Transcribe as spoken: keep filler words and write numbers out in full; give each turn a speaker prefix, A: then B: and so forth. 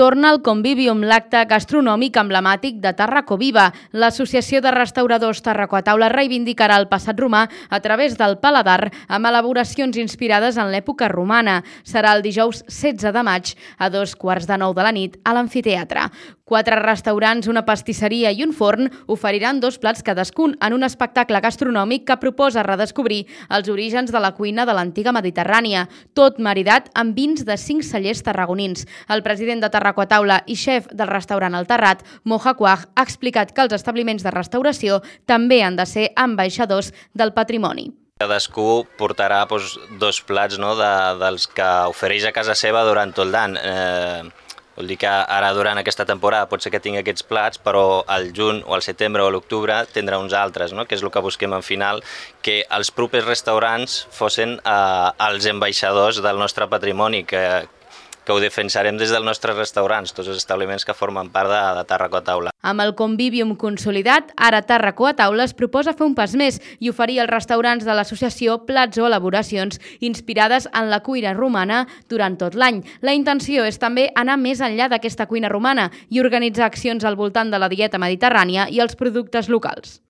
A: Torna al Convivium, l'acte gastronòmic emblemàtic de Tàrraco Viva. L'Associació de Restauradors Tàrraco a Taula reivindicarà el passat romà a través del paladar amb elaboracions inspirades en l'època romana. Serà el dijous setze de maig a dos quarts de nou de la nit a l'amfiteatre. Quatre restaurants, una pastisseria i un forn oferiran dos plats cadascun en un espectacle gastronòmic que proposa redescobrir els orígens de la cuina de l'antiga Mediterrània, tot maridat amb vins de cinc cellers tarragonins. El president de Tàrraco a Taula i xef del restaurant El Terrat, Moja Quaj, ha explicat que els establiments de restauració també han de ser ambaixadors del patrimoni.
B: Cadascú portarà doncs, dos plats no, de, dels que ofereix a casa seva durant tot l'any. Eh, vol dir que ara durant aquesta temporada pot ser que tingui aquests plats, però al juny o al setembre o a l'octubre tindrà uns altres, no? Que és el que busquem al final, que els propers restaurants fossin eh, els ambaixadors del nostre patrimoni, que, que ho defensarem des dels nostres restaurants, tots els establiments que formen part de, de Tàrraco a Taula.
A: Amb el Convivium consolidat, ara Tàrraco a Taula es proposa fer un pas més i oferir als restaurants de l'associació plats o elaboracions inspirades en la cuina romana durant tot l'any. La intenció és també anar més enllà d'aquesta cuina romana i organitzar accions al voltant de la dieta mediterrània i els productes locals.